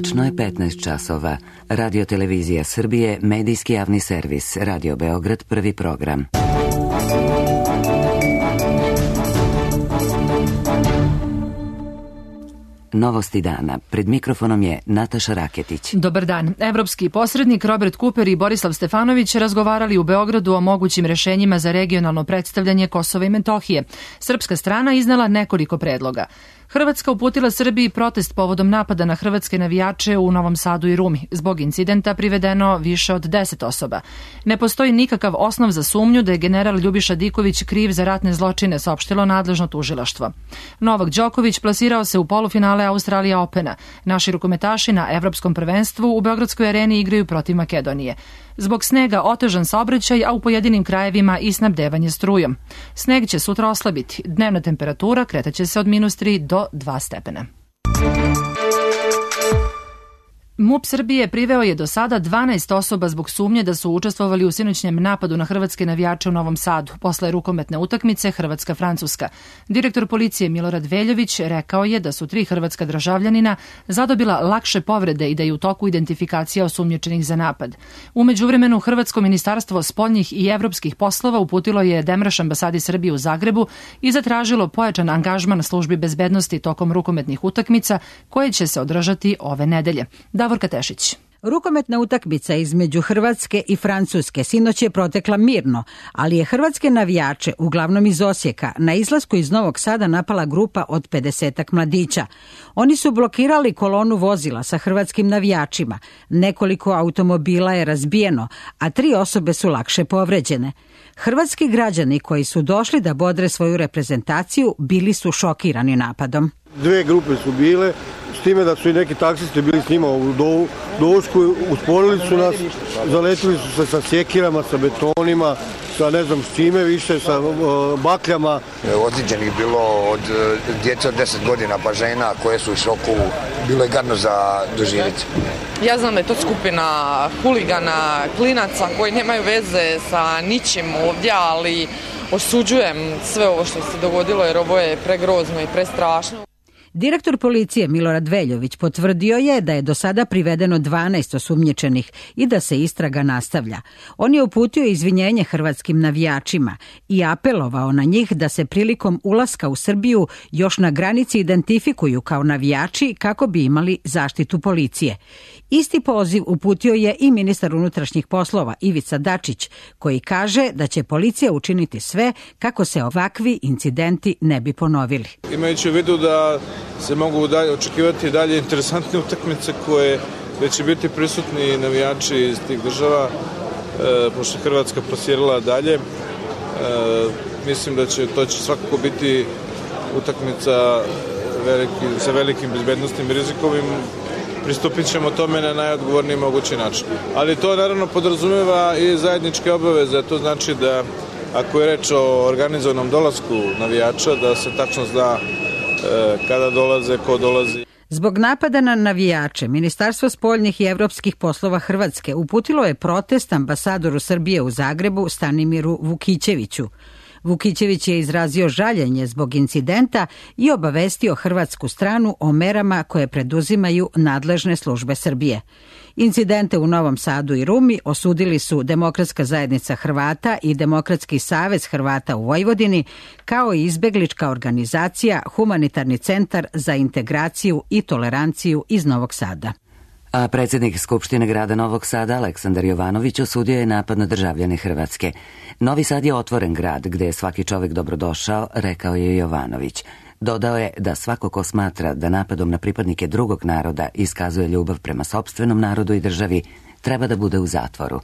Tačno je 15 časova. Radio Televizija Srbije, medijski javni servis, Radio Beograd, prvi program. Novosti dana. Pred mikrofonom je Nataša Raketić. Dobar dan. Evropski posrednik Robert Cooper i Borislav Stefanović razgovarali u Beogradu o mogućim rešenjima za regionalno predstavljanje Kosova i Metohije. Srpska strana iznela nekoliko predloga. Hrvatska uputila Srbiji protest povodom napada na hrvatske navijače u Novom Sadu i Rumi. Zbog incidenta privedeno više od 10 osoba. Ne postoji nikakav osnov za sumnju da je general Ljubiša Diković kriv za ratne zločine, saopštilo nadležno tužilaštvo. Novak Đoković plasirao se u polufinale Australija Opena. Naši rukometaši na Evropskom prvenstvu u Beogradskoj areni igraju protiv Makedonije. Zbog snega otežan saobraćaj, a u pojedinim krajevima i snabdevanje strujom. Sneg će sutra oslabiti. Dnevna temperatura kretaće se od -3 do 2 stepena. MUP Srbije priveo je do sada 12 osoba zbog sumnje da su učestvovali u sinoćnjem napadu na hrvatske navijače u Novom Sadu, posle rukometne utakmice Hrvatska-Francuska. Direktor policije Milorad Veljović rekao je da su 3 hrvatska državljanina zadobila lakše povrede i da je u toku identifikacija osumnjičenih za napad. U međuvremenu, Hrvatsko ministarstvo spoljnih i evropskih poslova uputilo je demarš ambasadi Srbije u Zagrebu i zatražilo pojačan angažman službi bezbednosti tokom rukometnih utakmica koje će se održati ove nedelje. Davorka Tešić. Rukometna utakmica između Hrvatske i Francuske sinoć je protekla mirno, ali je hrvatske navijače, uglavnom iz Osijeka, na izlasku iz Novog Sada napala grupa od 50-ak mladića. Oni su blokirali kolonu vozila sa hrvatskim navijačima. Nekoliko automobila je razbijeno, a 3 osobe su lakše povređene. Hrvatski građani koji su došli da bodre svoju reprezentaciju bili su šokirani napadom. 2 grupe su bile, s time da su i neki taksisti bili s njima u došku, usporili su nas, zaletili su se sa sjekirama, sa betonima, sa ne znam s čime više, sa bakljama. Ozlijeđenih bilo od djece od 10 godina pa žena koje su u šoku, bilo je gadno za doživjeti. Ja znam da je to skupina huligana, klinaca koji nemaju veze sa ničim ovdje, ali osuđujem sve ovo što se dogodilo jer ovo je pregrozno i prestrašno. Direktor policije Milorad Veljović potvrdio je da je do sada privedeno 12 osumnjičenih i da se istraga nastavlja. On je uputio izvinjenje hrvatskim navijačima i apelovao na njih da se prilikom ulaska u Srbiju još na granici identifikuju kao navijači kako bi imali zaštitu policije. Isti poziv uputio je i ministar unutrašnjih poslova Ivica Dačić, koji kaže da će policija učiniti sve kako se ovakvi incidenti ne bi ponovili. Imajući u vidu da se mogu očekivati dalje interesantne utakmice koje će biti prisutni navijači iz tih država, pošto Hrvatska plasirala dalje. Mislim da to će svakako biti utakmica sa velikim bezbednostnim rizikovim. Pristupit ćemo tome na najodgovorniji mogući način. Ali to naravno podrazumeva i zajedničke obaveze, to znači da ako je reč o organizovanom dolasku navijača, da se tačno zna kada dolaze, ko dolazi. Zbog napada na navijače, Ministarstvo spoljnih i evropskih poslova Hrvatske uputilo je protest ambasadoru Srbije u Zagrebu Stanimiru Vukićeviću. Vukićević je izrazio žaljenje zbog incidenta i obavestio hrvatsku stranu o merama koje preduzimaju nadležne službe Srbije. Incidente u Novom Sadu i Rumi osudili su Demokratska zajednica Hrvata i Demokratski savez Hrvata u Vojvodini, kao i izbeglička organizacija Humanitarni centar za integraciju i toleranciju iz Novog Sada. A predsjednik Skupštine grada Novog Sada, Aleksandar Jovanović, osudio je napad na državljane Hrvatske. Novi Sad je otvoren grad gde je svaki čovjek dobrodošao, rekao je Jovanović. Dodao je da svako ko smatra da napadom na pripadnike drugog naroda iskazuje ljubav prema sopstvenom narodu i državi, treba da bude u zatvoru.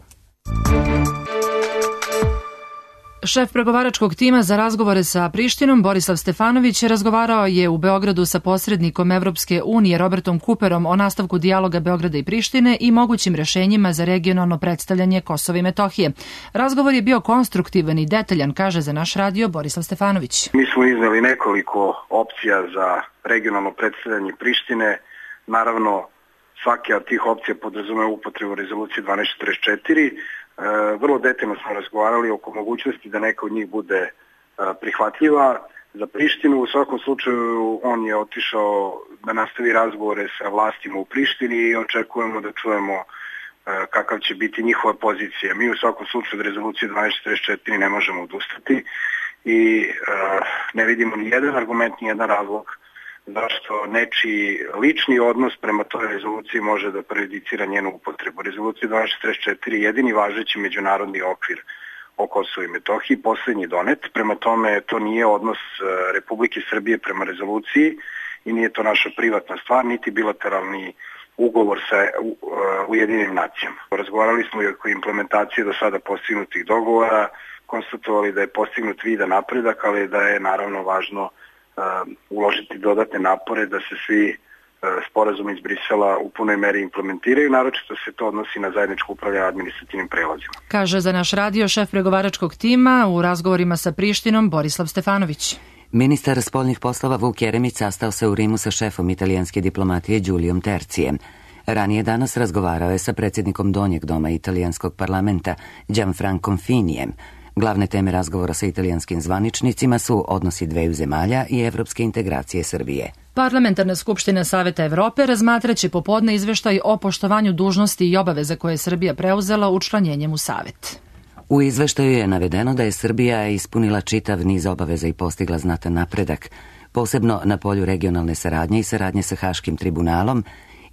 Šef pregovaračkog tima za razgovore sa Prištinom, Borislav Stefanović, razgovarao je u Beogradu sa posrednikom Evropske unije Robertom Cooperom o nastavku dijaloga Beograda i Prištine i mogućim rešenjima za regionalno predstavljanje Kosova i Metohije. Razgovor je bio konstruktivan i detaljan, kaže za naš radio Borislav Stefanović. Mi smo izneli nekoliko opcija za regionalno predstavljanje Prištine. Naravno, svaka od tih opcija podrazumeva upotrebu rezolucije 1244. Vrlo detaljno smo razgovarali oko mogućnosti da neka od njih bude prihvatljiva. za Prištinu. U svakom slučaju on je otišao da nastavi razgovore sa vlastima u Prištini i očekujemo da čujemo kakav će biti njihova pozicija. Mi u svakom slučaju od rezolucije 1244 ne možemo odustati i ne vidimo ni jedan argument, ni jedan razlog zašto nečiji lični odnos prema toj rezoluciji može da prejudicira njenu upotrebu. Rezolucija 1244 je jedini važeći međunarodni okvir o Kosovu i Metohiji, poslednji donet, prema tome to nije odnos Republike Srbije prema rezoluciji i nije to naša privatna stvar, niti bilateralni ugovor sa Ujedinjenim nacijama. Razgovarali smo i oko implementacije do sada postignutih dogovora, konstatovali da je postignut vidan napredak, ali da je naravno važno uložiti dodatne napore da se svi sporazumi iz Brisela u punoj meri implementiraju, naročito se to odnosi na zajedničko upravljanje administrativnim prelazima. Kaže za naš radio šef pregovaračkog tima u razgovorima sa Prištinom Borislav Stefanović. Ministar spoljnih poslova Vuk Jeremić sastao se u Rimu sa šefom italijanske diplomatije Giuliom Terzijem. Ranije danas razgovarao je sa predsjednikom Donjeg doma italijanskog parlamenta Gianfrancom Finijem. Glavne teme razgovora sa italijanskim zvaničnicima su odnosi dveju zemalja i evropske integracije Srbije. Parlamentarna skupština Saveta Evrope razmatraće popodne izveštaj o poštovanju dužnosti i obaveza koje je Srbija preuzela učlanjenjem u Savet. U izveštaju je navedeno da je Srbija ispunila čitav niz obaveza i postigla znatan napredak, posebno na polju regionalne saradnje i saradnje sa Haškim tribunalom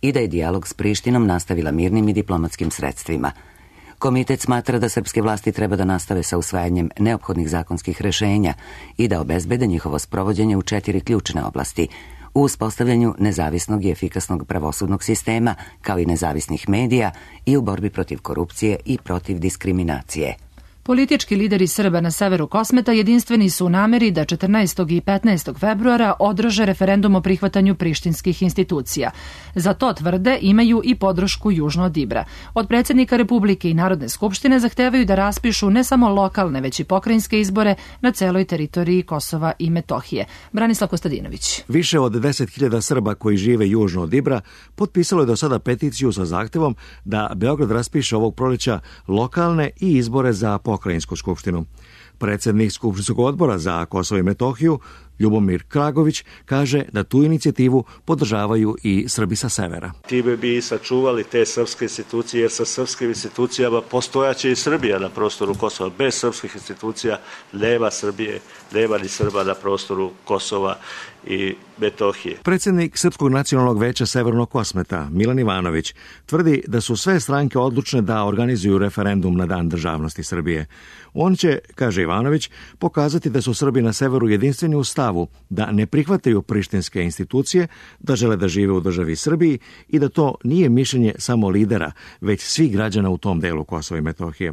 i da je dijalog s Prištinom nastavila mirnim i diplomatskim sredstvima. Komitet smatra da srpske vlasti treba da nastave sa usvajanjem neophodnih zakonskih rešenja i da obezbede njihovo sprovođenje u 4 ključne oblasti: u uspostavljanju nezavisnog i efikasnog pravosudnog sistema, kao i nezavisnih medija i u borbi protiv korupcije i protiv diskriminacije. Politički lideri Srba na severu Kosmeta jedinstveni su u nameri da 14. i 15. februara održe referendum o prihvatanju prištinskih institucija. Za to, tvrde, imaju i podršku južno od Ibra. Od predsjednika Republike i Narodne skupštine zahtevaju da raspišu ne samo lokalne, već i pokrajinske izbore na celoj teritoriji Kosova i Metohije. Branislav Kostadinović. Više od 10.000 Srba koji žive južno od Ibra potpisalo je do sada peticiju sa zahtevom da Beograd raspiše ovog proleća lokalne i izbore za pokrajinsku skupštinu. Predsjednik Skupštinskog odbora za Kosovo i Metohiju, Ljubomir Kragović, kaže da tu inicijativu podržavaju i Srbi sa severa. Time bi sačuvali te srpske institucije, jer sa srpskim institucijama postojaće i Srbija na prostoru Kosova. Bez srpskih institucija nema Srbije, nema ni Srba na prostoru Kosova i Metohije. Predsjednik Srpskog nacionalnog veća Severnog Kosmeta, Milan Ivanović, tvrdi da su sve stranke odlučne da organizuju referendum na Dan državnosti Srbije. On će, kaže Ivanović, pokazati da su Srbi na severu jedinstveni u stavu da ne prihvataju prištinske institucije, da žele da žive u državi Srbiji i da to nije mišljenje samo lidera, već svih građana u tom delu Kosova i Metohije.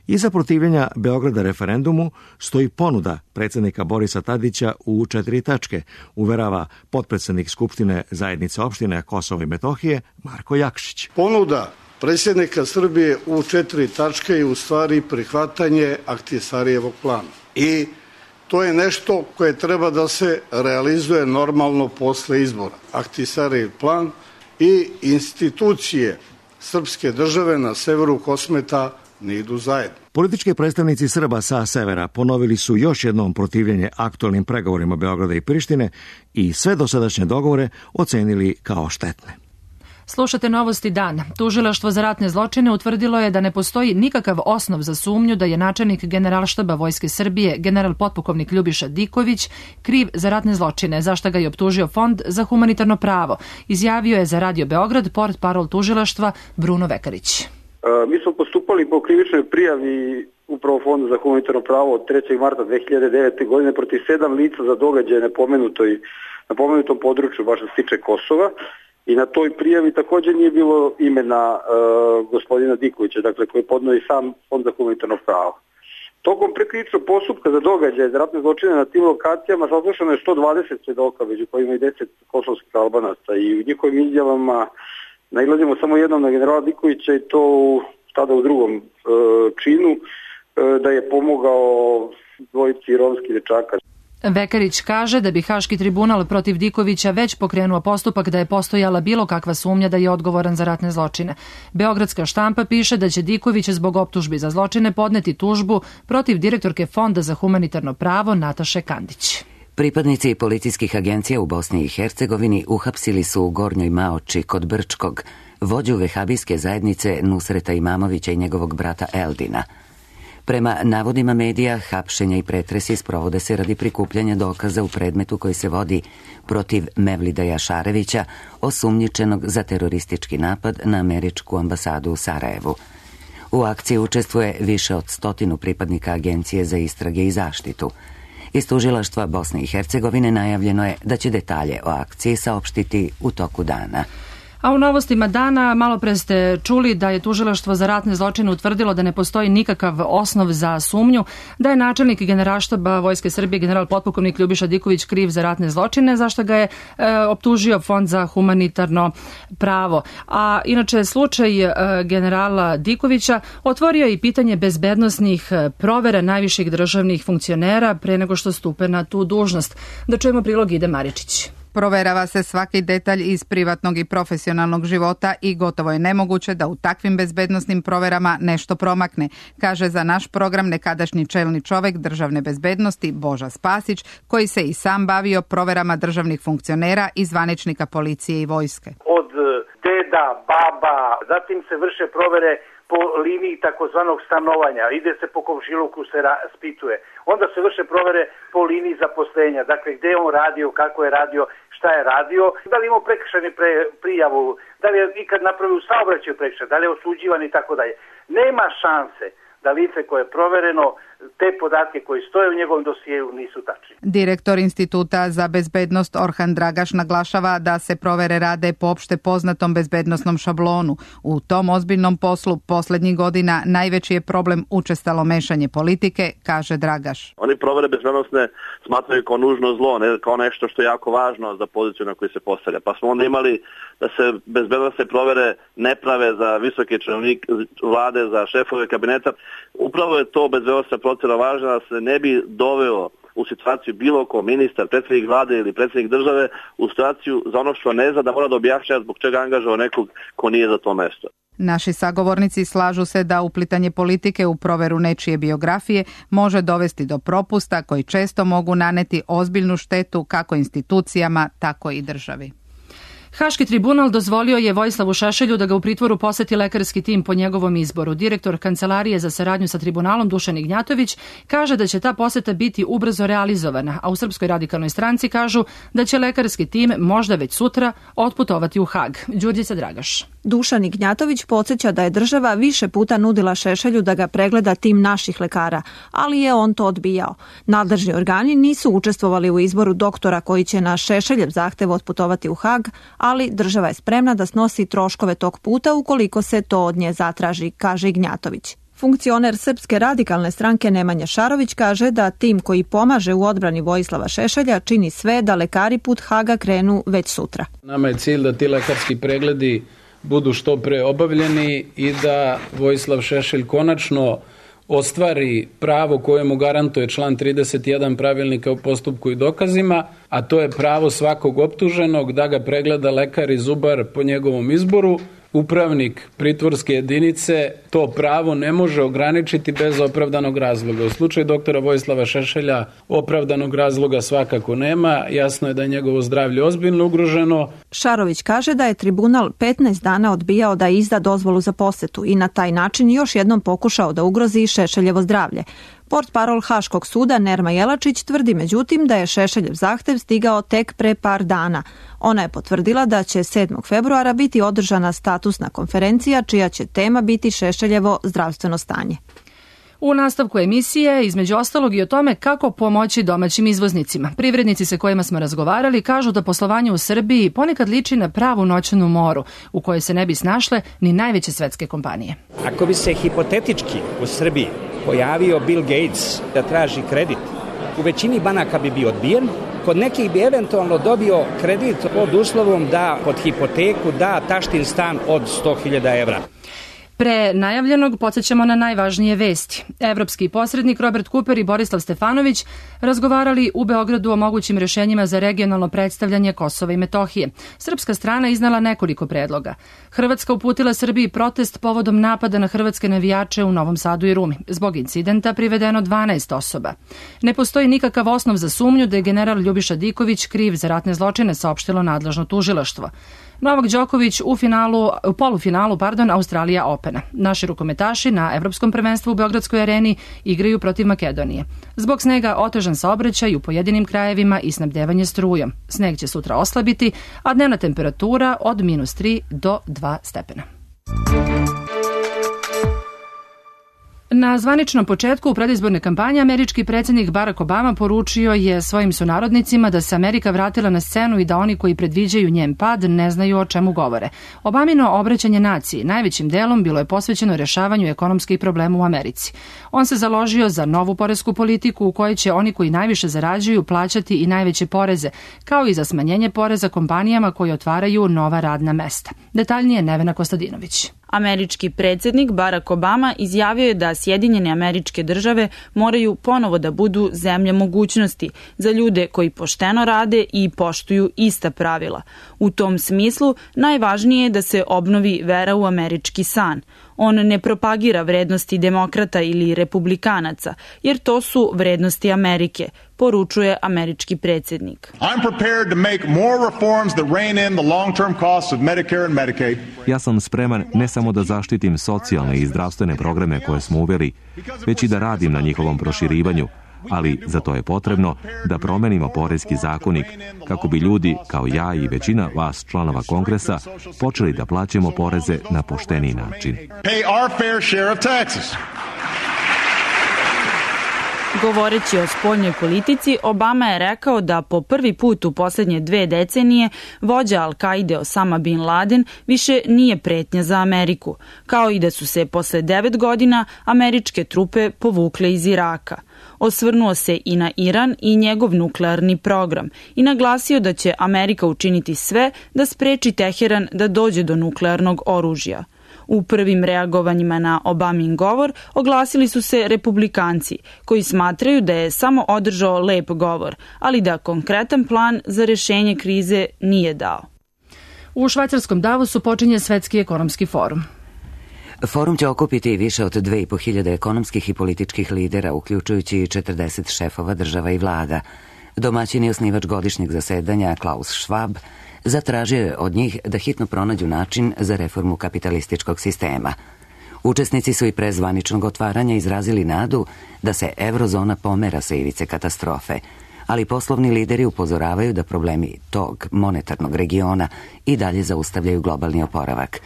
Iza protivljenja Beograda referendumu stoji ponuda predsjednika Borisa Tadića u 4 tačke, uverava potpredsjednik Skupštine zajednice opštine Kosova i Metohije Marko Jakšić. Ponuda predsjednika Srbije u 4 tačke je u stvari prihvatanje Ahtisarijevog plana. I to je nešto koje treba da se realizuje normalno posle izbora. Ahtisarijev plan i institucije srpske države na severu Kosmeta ne idu zajedno. Politički predstavnici Srba sa severa ponovili su još jednom protivljenje aktualnim pregovorima Beograda i Prištine i sve dosadašnje dogovore ocenili kao štetne. Slušate Novosti dan. Tužilaštvo za ratne zločine utvrdilo je da ne postoji nikakav osnov za sumnju da je načelnik Generalštaba Vojske Srbije, general potpukovnik Ljubiša Diković, kriv za ratne zločine, za šta ga je optužio Fond za humanitarno pravo. Izjavio je za Radio Beograd portparol tužilaštva Bruno Vekarić. Mi smo postupali po krivičnoj prijavi upravo Fonda za humanitarno pravo od 3. marta 2009. godine protiv 7 lica za događaje na pomenutom području, baš što se tiče Kosova. I na toj prijavi također nije bilo imena gospodina Dikovića, dakle koji je podneo i sam Fond za humanitarno pravo. Tokom prekrivičnog postupka za događaje za ratne zločine na tim lokacijama saslušano je 120 svedoka, među kojima i 10 kosovskih Albanaca, i u njihovim izjavama nailazimo samo jednom na generala Dikovića, i to tada u drugom činu, da je pomogao dvojici romskih dečaka. Vekarić kaže da bi Haški tribunal protiv Dikovića već pokrenuo postupak da je postojala bilo kakva sumnja da je odgovoran za ratne zločine. Beogradska štampa piše da će Diković zbog optužbi za zločine podneti tužbu protiv direktorke Fonda za humanitarno pravo Nataše Kandić. Pripadnici policijskih agencija u Bosni i Hercegovini uhapsili su u Gornjoj Maoči kod Brčkog vođu vehabijske zajednice Nusreta Imamovića i njegovog brata Eldina. Prema navodima medija, hapšenja i pretresi sprovode se radi prikupljanja dokaza u predmetu koji se vodi protiv Mevlida Jašarevića, osumnjičenog za teroristički napad na američku ambasadu u Sarajevu. U akciji učestvuje više od 100 pripadnika Agencije za istrage i zaštitu. Iz tužilaštva Bosne i Hercegovine najavljeno je da će detalje o akciji saopštiti u toku dana. A u novostima dana malo pre ste čuli da je tužilaštvo za ratne zločine utvrdilo da ne postoji nikakav osnov za sumnju da je načelnik Generalštaba Vojske Srbije general potpukovnik Ljubiša Diković kriv za ratne zločine, zašto ga je optužio Fond za humanitarno pravo. A inače slučaj generala Dikovića otvorio je i pitanje bezbednosnih provera najviših državnih funkcionera pre nego što stupe na tu dužnost. Da čujemo prilog Ide Maričić. Proverava se svaki detalj iz privatnog i profesionalnog života i gotovo je nemoguće da u takvim bezbednosnim proverama nešto promakne, kaže za naš program nekadašnji čelni čovek državne bezbednosti Boža Spasić, koji se i sam bavio proverama državnih funkcionera i zvaničnika policije i vojske. Od deda, baba, zatim se vrše provere po liniji takozvanog stanovanja, ide se po komšiluku, se spituje. Onda se vrše provere po liniji zaposlenja, dakle gde je on radio, kako je radio, šta je radio, da li imao prekršajnu prijavu, da li je ikad napravio saobraćaj prekršaj, da li je osuđivan i tako dalje. Nema šanse da lice koje je provereno, te podatke koji stoje u njegovom dosijeju nisu tačni. Direktor Instituta za bezbednost Orhan Dragaš naglašava da se provere rade po opšte poznatom bezbednosnom šablonu. U tom ozbiljnom poslu poslednjih godina najveći je problem učestalo mešanje politike, kaže Dragaš. Oni provere bezbednosne smatraju kao nužno zlo, ne kao nešto što je jako važno za poziciju na koju se postavlja. Pa smo onda imali da se bezbednosne provere ne prave za visoke čelnike vlade, za šefove kabineta. Upravo je to bezbednosna procena važna da se ne bi doveo u situaciju bilo ko ministar, predsjednik vlade ili predsjednik države u situaciju za ono što ne zna da mora da objašnjava zbog čega angažava nekog ko nije za to mesto. Naši sagovornici slažu se da uplitanje politike u proveru nečije biografije može dovesti do propusta koji često mogu naneti ozbiljnu štetu kako institucijama, tako i državi. Haški tribunal dozvolio je Vojislavu Šešelju da ga u pritvoru poseti lekarski tim po njegovom izboru. Direktor Kancelarije za saradnju sa tribunalom Dušan Ignjatović kaže da će ta poseta biti ubrzo realizovana, a u Srpskoj radikalnoj stranci kažu da će lekarski tim možda već sutra otputovati u Hag. Đurđica Dragaš. Dušan Ignjatović podsjeća da je država više puta nudila Šešelju da ga pregleda tim naših lekara, ali je on to odbijao. Nadležni organi nisu učestvovali u izboru doktora koji će na Šešeljev zahtev otputovati u Hag, ali država je spremna da snosi troškove tog puta ukoliko se to od nje zatraži, kaže Ignjatović. Funkcioner Srpske radikalne stranke Nemanja Šarović kaže da tim koji pomaže u odbrani Vojislava Šešelja čini sve da lekari put Haga krenu već sutra. Nama je cilj da ti lekarski pregledi budu što pre obavljeni i da Vojislav Šešelj konačno ostvari pravo koje mu garantuje član 31 pravilnika o postupku i dokazima, a to je pravo svakog optuženog da ga pregleda lekar i zubar po njegovom izboru. Upravnik pritvorske jedinice to pravo ne može ograničiti bez opravdanog razloga. U slučaju doktora Vojislava Šešelja opravdanog razloga svakako nema, jasno je da je njegovo zdravlje ozbiljno ugroženo. Šarović kaže da je tribunal 15 dana odbijao da izda dozvolu za posetu i na taj način još jednom pokušao da ugrozi Šešeljevo zdravlje. Portparol Haškog suda Nerma Jelačić tvrdi međutim da je Šešeljev zahtev stigao tek pre par dana. Ona je potvrdila da će 7. februara biti održana statusna konferencija čija će tema biti Šešeljevo zdravstveno stanje. U nastavku emisije, između ostalog i o tome kako pomoći domaćim izvoznicima. Privrednici sa kojima smo razgovarali kažu da poslovanje u Srbiji ponekad liči na pravu noćnu moru, u kojoj se ne bi snašle ni najveće svetske kompanije. Ako bi se hipotetički u Srbiji pojavio Bill Gates da traži kredit, u većini banaka bi bio odbijen, kod nekih bi eventualno dobio kredit pod uslovom da pod hipoteku da taštin stan od 100.000 evra. Pre najavljenog podsjećamo na najvažnije vesti. Evropski posrednik Robert Cooper i Borislav Stefanović razgovarali u Beogradu o mogućim rešenjima za regionalno predstavljanje Kosova i Metohije. Srpska strana iznala nekoliko predloga. Hrvatska uputila Srbiji protest povodom napada na hrvatske navijače u Novom Sadu i Rumi. Zbog incidenta privedeno 12 osoba. Ne postoji nikakav osnov za sumnju da je general Ljubiša Diković kriv za ratne zločine, saopštilo nadležno tužilaštvo. Novak Đoković u polufinalu Australija Opena. Naši rukometaši na Evropskom prvenstvu u Beogradskoj areni igraju protiv Makedonije. Zbog snega otežan saobraćaj u pojedinim krajevima i snabdevanje strujom. Sneg će sutra oslabiti, a dnevna temperatura od -3 do 2 stepena. Na zvaničnom početku u predizborne kampanje američki predsjednik Barack Obama poručio je svojim sunarodnicima da se Amerika vratila na scenu i da oni koji predviđaju njen pad ne znaju o čemu govore. Obamino obraćanje naciji najvećim delom bilo je posvećeno rešavanju ekonomskih problema u Americi. On se založio za novu poresku politiku u kojoj će oni koji najviše zarađuju plaćati i najveće poreze, kao i za smanjenje poreza kompanijama koje otvaraju nova radna mesta. Detaljnije Nevena Kostadinović. Američki predsjednik Barack Obama izjavio je da Sjedinjene Američke Države moraju ponovo da budu zemlja mogućnosti za ljude koji pošteno rade i poštuju ista pravila. U tom smislu najvažnije je da se obnovi vera u američki san. On ne propagira vrednosti demokrata ili republikanaca, jer to su vrednosti Amerike, poručuje američki predsjednik. Ja sam spreman ne samo da zaštitim socijalne i zdravstvene programe koje smo uveli, već i da radim na njihovom proširivanju, ali za to je potrebno da promenimo poreski zakonik kako bi ljudi, kao ja i većina vas članova Kongresa, počeli da plaćamo poreze na pošteniji način. Govoreći o spoljnoj politici, Obama je rekao da po prvi put u posljednje 2 decenije vođa Al-Kaide Osama Bin Laden više nije pretnja za Ameriku, kao i da su se posle 9 godina američke trupe povukle iz Iraka. Osvrnuo se i na Iran i njegov nuklearni program i naglasio da će Amerika učiniti sve da spreči Teheran da dođe do nuklearnog oružja. U prvim reagovanjima na Obamin govor oglasili su se republikanci, koji smatraju da je samo održao lep govor, ali da konkretan plan za rešenje krize nije dao. U švajcarskom Davosu počinje Svetski ekonomski forum. Forum će okupiti više od 2500 ekonomskih i političkih lidera, uključujući 40 šefova država i vlada. Domaćin i osnivač godišnjeg zasedanja Klaus Schwab zatražio je od njih da hitno pronađu način za reformu kapitalističkog sistema. Učesnici su i pre zvaničnog otvaranja izrazili nadu da se eurozona pomera sa ivice katastrofe, ali poslovni lideri upozoravaju da problemi tog monetarnog regiona i dalje zaustavljaju globalni oporavak.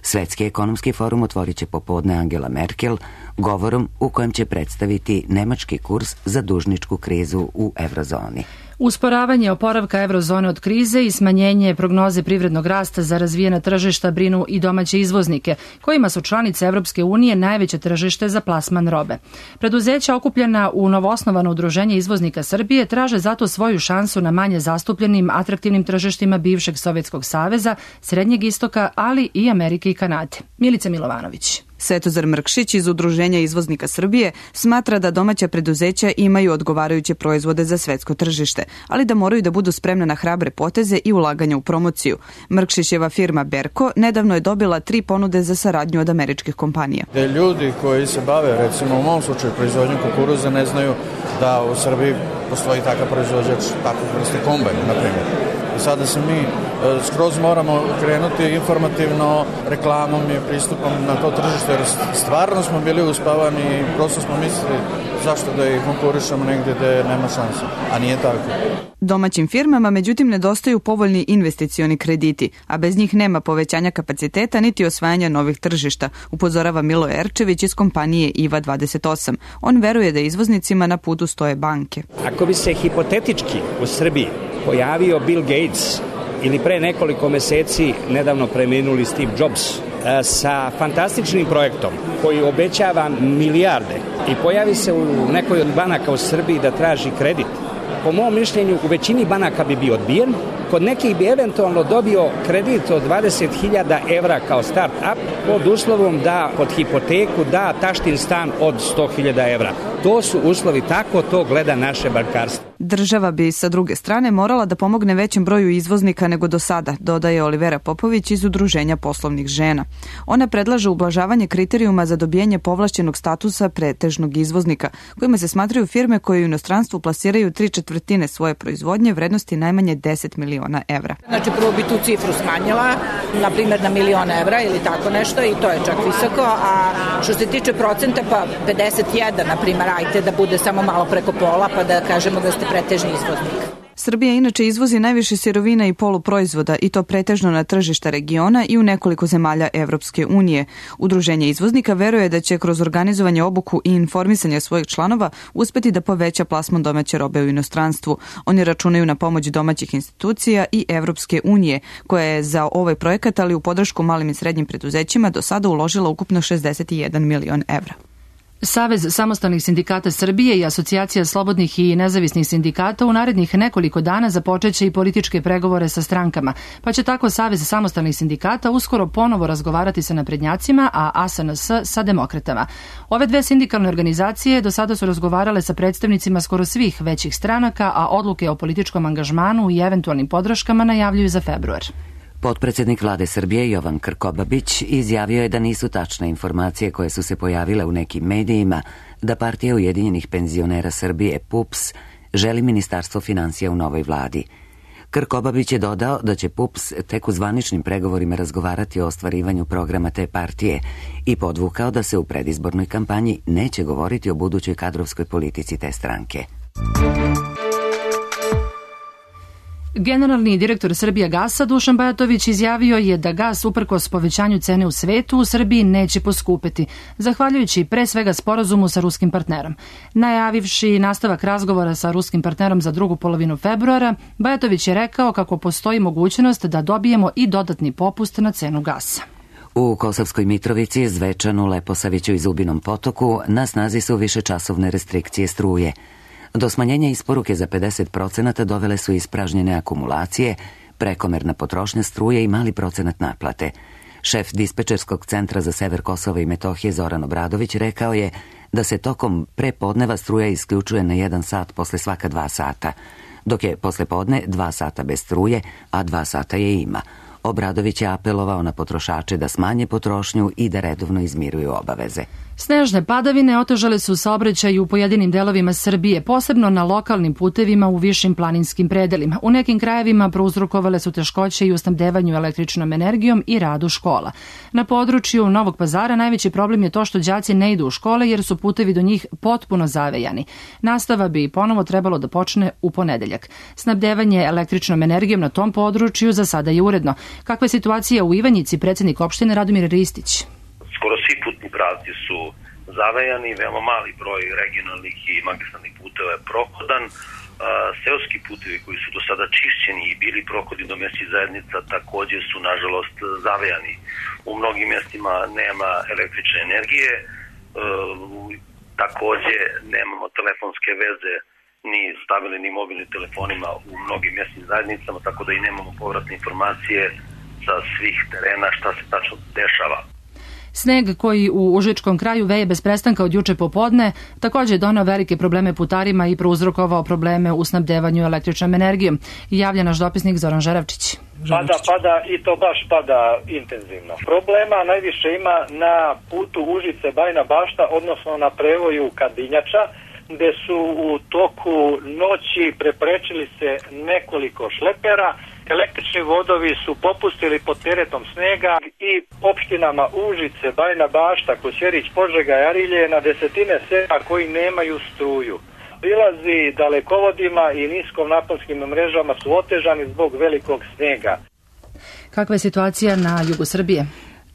Svetski ekonomski forum otvorit će popodne Angela Merkel govorom u kojem će predstaviti nemački kurs za dužničku krizu u eurozoni. Usporavanje oporavka eurozone od krize i smanjenje prognoze privrednog rasta za razvijena tržišta brinu i domaće izvoznike, kojima su članice Evropske unije najveće tržište za plasman robe. Preduzeća okupljena u novoosnovano udruženje izvoznika Srbije traže zato svoju šansu na manje zastupljenim atraktivnim tržištima bivšeg Sovjetskog saveza, Srednjeg istoka, ali i Amerike i Kanade. Milica Milovanović. Svetozar Mrkšić iz Udruženja izvoznika Srbije smatra da domaća preduzeća imaju odgovarajuće proizvode za svetsko tržište, ali da moraju da budu spremne na hrabre poteze i ulaganja u promociju. Mrkšićeva firma Berko nedavno je dobila 3 ponude za saradnju od američkih kompanija. Ljudi koji se bave, recimo u mom slučaju, proizvodnjom kukuruza, ne znaju da u Srbiji postoji takav proizvođač takvog vrste kombajna, na primjer. I sada se mi skroz moramo krenuti informativno reklamom i pristupom na to tržište, jer stvarno smo bili uspavani i prosto smo mislili zašto da ih konkurišemo negdje gde nema šanse, a nije tako. Domaćim firmama, međutim, nedostaju povoljni investicioni krediti, a bez njih nema povećanja kapaciteta niti osvajanja novih tržišta, upozorava Milo Erčević iz kompanije IVA 28. On veruje da izvoznicima na putu stoje banke. Ako bi se hipotetički u Srbiji pojavio Bill Gates ili pre nekoliko meseci nedavno preminuli Steve Jobs sa fantastičnim projektom koji obećava milijarde i pojavi se u nekoj od banaka u Srbiji da traži kredit, po mom mišljenju u većini banaka bi bio odbijen, kod nekih bi eventualno dobio kredit od 20.000 evra kao start-up pod uslovom da pod hipoteku da taštin stan od 100.000 evra. To su uslovi, tako to gleda naše bankarstvo. Država bi sa druge strane morala da pomogne većem broju izvoznika nego do sada, dodaje Olivera Popović iz Udruženja poslovnih žena. Ona predlaže ublažavanje kriterijuma za dobijanje povlašćenog statusa pretežnog izvoznika, kojima se smatraju firme koje u inostranstvu plasiraju 3/4 svoje proizvodnje vrednosti najmanje 10 miliona evra. Znači prvo bi tu cifru smanjila, na primjer na 1.000.000 evra ili tako nešto i to je čak visoko, a što se tiče procenta pa 51, na primjer, ajte da bude samo malo preko pola pa da kažemo da ste pretežni izvoznik. Srbija inače izvozi najviše sirovina i poluproizvoda i to pretežno na tržišta regiona i u nekoliko zemalja Evropske unije. Udruženje izvoznika veruje da će kroz organizovanje obuku i informisanje svojih članova uspeti da poveća plasman domaće robe u inostranstvu. Oni računaju na pomoć domaćih institucija i Evropske unije, koja je za ovaj projekat, ali u podršku malim i srednjim preduzećima, do sada uložila ukupno 61 milion evra. Savez samostalnih sindikata Srbije i Asocijacija slobodnih i nezavisnih sindikata u narednih nekoliko dana započeće i političke pregovore sa strankama, pa će tako Savez samostalnih sindikata uskoro ponovo razgovarati sa naprednjacima, a ASNS sa demokratama. Ove dve sindikalne organizacije do sada su razgovarale sa predstavnicima skoro svih većih stranaka, a odluke o političkom angažmanu i eventualnim podrškama najavljuju za februar. Potpredsednik vlade Srbije Jovan Krkobabić izjavio je da nisu tačne informacije koje su se pojavile u nekim medijima da Partija Ujedinjenih penzionera Srbije PUPS želi Ministarstvo finansija u novoj vladi. Krkobabić je dodao da će PUPS tek u zvaničnim pregovorima razgovarati o ostvarivanju programa te partije i podvukao da se u predizbornoj kampanji neće govoriti o budućoj kadrovskoj politici te stranke. Generalni direktor Srbijagasa Dušan Bajatović izjavio je da gas uprkos povećanju cene u svetu u Srbiji neće poskupeti, zahvaljujući pre svega sporazumu sa ruskim partnerom. Najavivši nastavak razgovora sa ruskim partnerom za drugu polovinu februara, Bajatović je rekao kako postoji mogućnost da dobijemo i dodatni popust na cenu gasa. U Kosovskoj Mitrovici, Zvečanu, Leposaviću i Zubinom Potoku na snazi su višečasovne restrikcije struje. Do smanjenja isporuke za 50% dovele su ispražnjene akumulacije, prekomerna potrošnja struje i mali procenat naplate. Šef dispečerskog centra za sever Kosova i Metohije Zoran Obradović rekao je da se tokom prepodneva struja isključuje na 1 sat posle svaka 2 sata, dok je posle podne 2 sata bez struje, a 2 sata je ima. Obradović je apelovao na potrošače da smanje potrošnju i da redovno izmiruju obaveze. Snežne padavine otežale su saobraćaj u pojedinim delovima Srbije, posebno na lokalnim putevima u višim planinskim predelima. U nekim krajevima prouzrokovale su teškoće i u snabdevanju električnom energijom i radu škola. Na području Novog Pazara najveći problem je to što đaci ne idu u škole jer su putevi do njih potpuno zavejani. Nastava bi ponovo trebalo da počne u ponedeljak. Snabdevanje električnom energijom na tom području za sada je uredno. Kakva je situacija u Ivanjici, predsjednik opštine Radomir Ristić? Skoro svi putni pravci su zavejani, veoma mali broj regionalnih i magistralnih puteva je prohodan. Seoski putevi koji su do sada čišćeni i bili prohodi do mesnih zajednica također su nažalost zavejani. U mnogim mjestima nema električne energije, također nemamo telefonske veze ni stabilni ni mobilnim telefonima u mnogim mjesnim zajednicama, tako da i nemamo povratne informacije sa svih terena šta se tačno dešava. Sneg koji u Užičkom kraju veje bez prestanka od juče popodne također je donao velike probleme putarima i prouzrokovao probleme u snabdevanju električnom energijom. Javlja naš dopisnik Zoran Žeravčić. Pada i to baš pada intenzivno. Problema najviše ima na putu Užice-Bajina Bašta, odnosno na prevoju Kadinjača, gde su u toku noći preprečili se nekoliko šlepera. Električni vodovi su popustili pod teretom snega i opštinama Užice, Bajina Bašta, Kosjerić, Požega i Arilje na desetine sela koji nemaju struju. Prilazi dalekovodima i niskom naponskim mrežama su otežani zbog velikog snega. Kakva je situacija na jugu Srbije?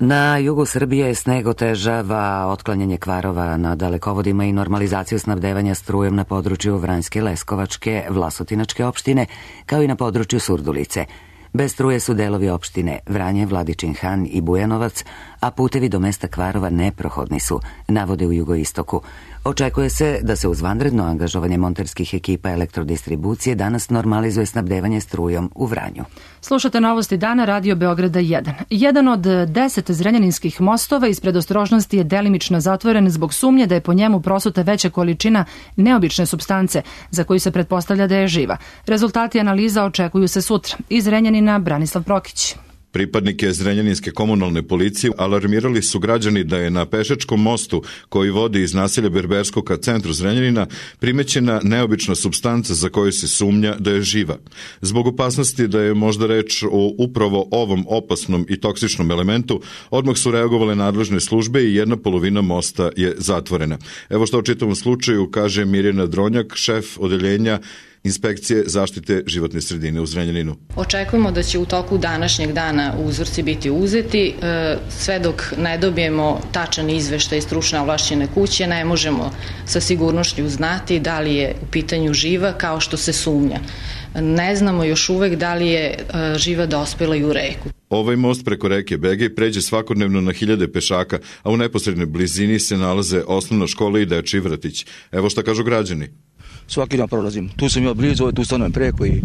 Na jugu Srbije sneg otežava otklanjanje kvarova na dalekovodima i normalizaciju snabdevanja strujem na području Vranjske, Leskovačke, Vlasotinačke opštine, kao i na području Surdulice. Bez struje su delovi opštine Vranje, Vladičin Han i Bujanovac, a putevi do mesta kvarova neprohodni su, navode u jugoistoku. Očekuje se da se uz vanredno angažovanje monterskih ekipa elektrodistribucije danas normalizuje snabdevanje strujom u Vranju. Slušate novosti dana Radio Beograda 1. Jedan od 10 zrenjaninskih mostova iz predostrožnosti je delimično zatvoren zbog sumnje da je po njemu prosuta veća količina neobične supstance za koju se pretpostavlja da je živa. Rezultati analiza očekuju se sutra. Iz Zrenjanina Branislav Prokić. Pripadnike Zrenjaninske komunalne policije alarmirali su građani da je na pešačkom mostu koji vodi iz naselja Berbersko ka centru Zrenjanina primećena neobična supstanca za koju se sumnja da je živa. Zbog opasnosti da je možda reč o upravo ovom opasnom i toksičnom elementu, odmah su reagovale nadležne službe i jedna polovina mosta je zatvorena. Evo što o čitavom slučaju kaže Mirjana Dronjak, šef odeljenja Inspekcije zaštite životne sredine u Zrenjaninu. Očekujemo da će u toku današnjeg dana uzorci biti uzeti. Sve dok ne dobijemo tačan izveštaj stručne ovlašćene kuće, ne možemo sa sigurnošću znati da li je u pitanju živa kao što se sumnja. Ne znamo još uvek da li je živa dospela i u reku. Ovaj most preko reke Begej pređe svakodnevno na hiljade pešaka, a u neposrednoj blizini se nalaze osnovna škola i dečiji vrtić. Evo šta kažu građani. Svaki dan prolazim. Tu sam ja blizu, tu stanujem preko i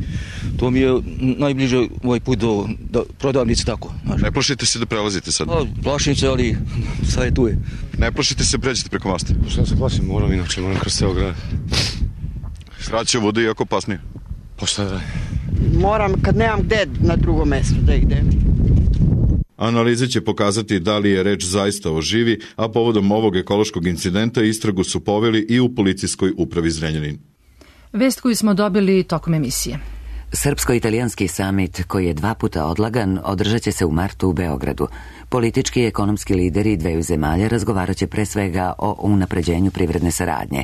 to mi je najbliže ovaj put do prodavnice tako. Znaš. Ne plašite se da prelazite sad? Plašim se, ali sad je tu je. Ne plašite se pređete preko mosta? Šta se plašim, moram kroz ceo grad. Sraće vode i jako opasnije? Pa šta da? Moram kad nemam gde na drugo mesto da idem. Analize će pokazati da li je reč zaista o živi, a povodom ovog ekološkog incidenta istragu su poveli i u policijskoj upravi Zrenjanin. Vest koju smo dobili tokom emisije. Srpsko-italijanski samit, koji je 2 puta odlagan, održat će se u martu u Beogradu. Politički i ekonomski lideri dveju zemalja razgovarat će pre svega o unapređenju privredne saradnje.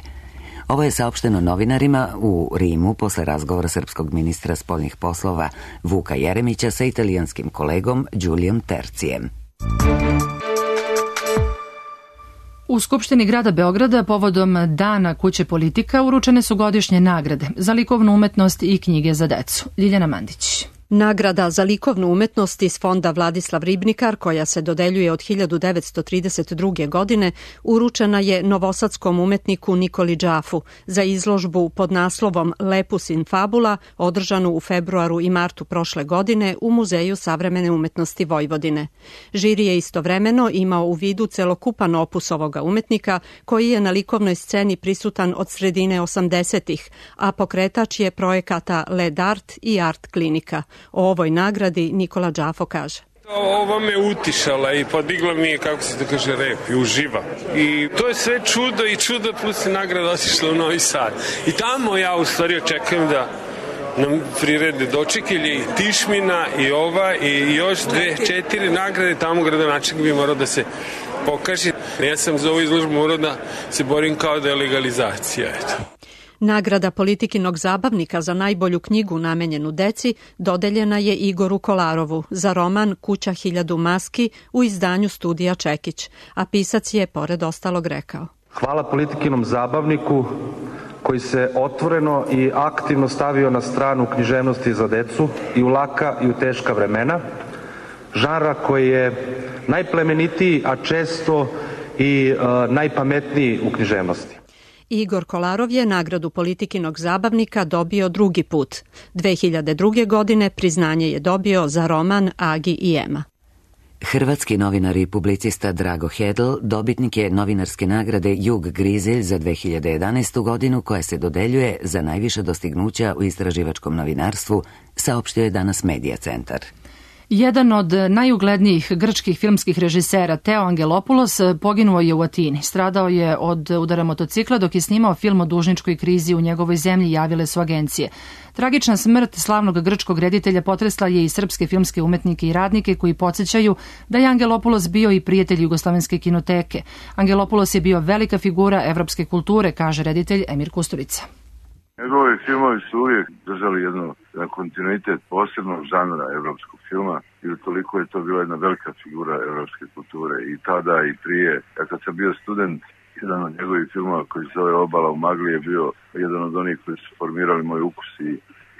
Ovo je saopšteno novinarima u Rimu posle razgovora srpskog ministra spoljnih poslova Vuka Jeremića sa italijanskim kolegom Đulijom Tercijem. U Skupštini grada Beograda povodom Dana kuće politika uručene su godišnje nagrade za likovnu umetnost i knjige za decu. Ljiljana Mandić. Nagrada za likovnu umetnost iz fonda Vladislav Ribnikar, koja se dodeljuje od 1932. godine, uručena je novosadskom umetniku Nikoli Đafu za izložbu pod naslovom Lepus in Fabula, održanu u februaru i martu prošle godine u Muzeju savremene umetnosti Vojvodine. Žiri je istovremeno imao u vidu celokupan opus ovoga umetnika, koji je na likovnoj sceni prisutan od sredine 80-ih, a pokretač je projekata Led Art i Art Klinika. O ovoj nagradi Nikola Đafo kaže. Ova me utišala i podigla mi je, kako se to kaže, rep i uživa. I to je sve čudo i čudo plus je nagrada otišla u Novi Sad. I tamo ja u stvari očekujem da nam prirede dočekilje i Tišmina i ova i još 2-4 nagrade. Tamo gradonačelnik bi morao da se pokaže. Ja sam za ovu izložbu morao da se borim kao da je legalizacija. Eto. Nagrada Politikinog zabavnika za najbolju knjigu namenjenu deci dodeljena je Igoru Kolarovu za roman Kuća 1000 maski u izdanju Studija Čekić, a pisac je pored ostalog rekao. Hvala Politikinom zabavniku koji se otvoreno i aktivno stavio na stranu književnosti za decu i u laka i u teška vremena, žanra koji je najplemenitiji, a često i najpametniji u književnosti. Igor Kolarov je nagradu Politikinog zabavnika dobio drugi put. 2002. godine priznanje je dobio za roman Agi i Ema. Hrvatski novinar i publicista Drago Hedl dobitnik je novinarske nagrade Jug Grizelj za 2011. godinu koja se dodeljuje za najviše dostignuća u istraživačkom novinarstvu, saopštio je danas Medija centar. Jedan od najuglednijih grčkih filmskih režisera, Teo Angelopoulos, poginuo je u Atini. Stradao je od udara motocikla dok je snimao film o dužničkoj krizi u njegovoj zemlji, javile su agencije. Tragična smrt slavnog grčkog reditelja potresla je i srpske filmske umetnike i radnike koji podsjećaju da je Angelopoulos bio i prijatelj Jugoslovenske kinoteke. Angelopoulos je bio velika figura evropske kulture, kaže reditelj Emir Kusturica. Njegovi filmovi su uvijek držali jedan kontinuitet posebnog žanra evropskog filma i utoliko je to bila jedna velika figura evropske kulture i tada i prije. Ja kad sam bio student, jedan od njegovih filmova koji se zove Obala u magli je bio jedan od onih koji su formirali moj ukus i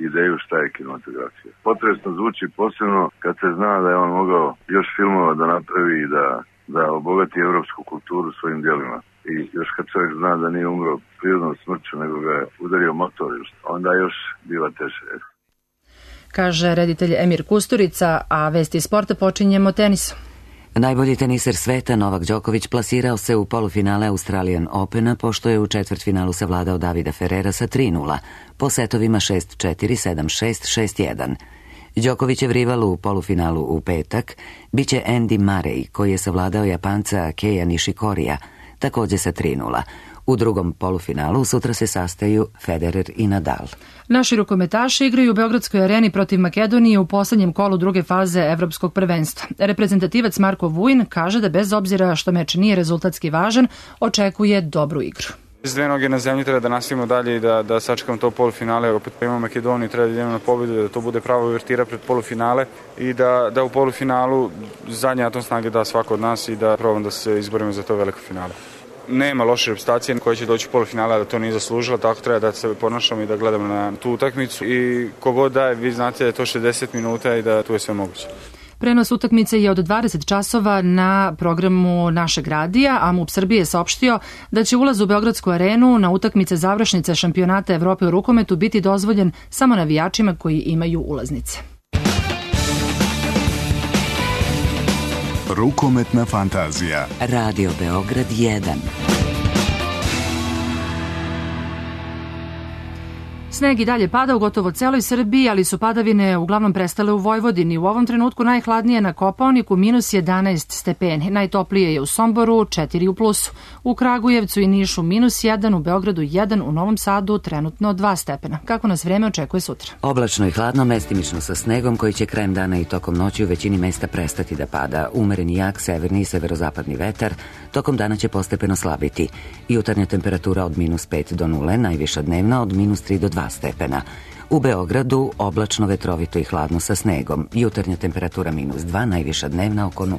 ideju šta je kinematografija. Potresno zvuči posebno kad se zna da je on mogao još filmova da napravi i da da obogati evropsku kulturu svojim djelima. I još kad čovjek zna da nije umro prirodnom smrću, nego ga je udario motor, onda još biva teže. Kaže reditelj Emir Kusturica, a vesti sporta počinjemo tenisom. Najbolji teniser sveta Novak Đoković plasirao se u polufinale Australian Opena pošto je u četvrtfinalu savladao Davida Ferrera sa 3:0 po setovima 6-4, 7-6, 6-1. Đokovićev rival u polufinalu u petak biće Andy Murray koji je savladao Japanca Keija Nishikorija također sa 3:0. U drugom polufinalu sutra se sastaju Federer i Nadal. Naši rukometaši igraju u Beogradskoj areni protiv Makedonije u poslednjem kolu druge faze evropskog prvenstva. Reprezentativac Marko Vujin kaže da bez obzira što meč nije rezultatski važan, očekuje dobru igru. S dve noge na zemlji treba da nastavimo dalje i da sačekamo to polufinale. Opet imamo Makedoniju, treba da idemo na pobjedu, da to bude prava uvertira pred polufinale i da u polufinalu zadnji atom snage da svako od nas i da probamo da se izborimo za to veliko finale. Nema loše reputacije koja će doći u polufinale, da to nije zaslužila, tako treba da se ponašamo i da gledamo na tu utakmicu i kogod daje, vi znate da je to 60 minuta i da tu je sve moguće. Prenos utakmice je od 20 časova na programu našeg radija, a MUP Srbije je saopštio da će ulaz u Beogradsku arenu na utakmice završnice šampionata Evrope u rukometu biti dozvoljen samo navijačima koji imaju ulaznice. Rukometna fantazija. Radio Beograd 1. Sneg i dalje pada u gotovo celoj Srbiji, ali su padavine uglavnom prestale u Vojvodini. U ovom trenutku najhladnije na Kopaoniku -11 stepeni. Najtoplije je u Somboru 4 u plusu. U Kragujevcu i Nišu -1, u Beogradu 1, u Novom Sadu trenutno 2 stepena. Kako nas vreme očekuje sutra? Oblačno i hladno, mestimično sa snegom koji će krajem dana i tokom noći u većini mesta prestati da pada. Umereni jak severni i severozapadni vetar tokom dana će postepeno slabiti. Jutarnja temperatura od -5 do 0, najviša dnevna od -3 do 2 stepena. U Beogradu oblačno, vetrovito i hladno sa snegom. Jutarnja temperatura -2, najviša dnevna oko 0.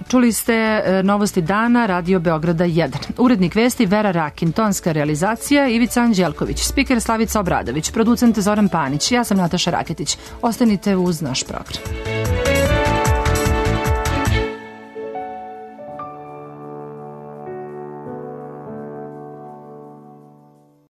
Čuli ste novosti dana Radio Beograda 1. Urednik vesti Vera Rakin, tonska realizacija Ivica Anđelković, spiker Slavica Obradović, producent Zoran Panić, ja sam Nataša Raketić. Ostanite uz naš program.